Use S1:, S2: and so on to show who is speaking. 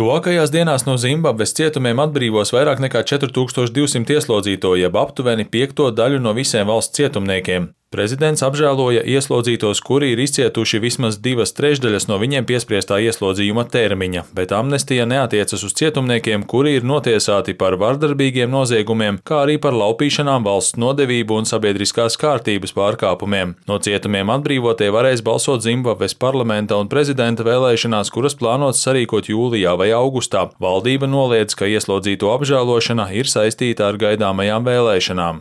S1: Tuvākajās dienās no Zimbabves cietumiem atbrīvos vairāk nekā 4200 ieslodzīto, jeb aptuveni piekto daļu no visiem valsts cietumniekiem. Prezidents apžēloja ieslodzītos, kuri ir izcietuši vismaz 2/3 no viņiem piespriestā ieslodzījuma termiņa, bet amnestija neatiecas uz cietumniekiem, kuri ir notiesāti par vardarbīgiem noziegumiem, kā arī par laupīšanām, valsts nodevību un sabiedriskās kārtības pārkāpumiem. No cietumiem atbrīvotie varēs balsot Zimbabves parlamenta un prezidenta vēlēšanās, kuras plānots sarīkot jūlijā vai augustā. Valdība noliedz, ka ieslodzīto apžēlošana ir saistīta ar gaidāmajām vēlēšanām.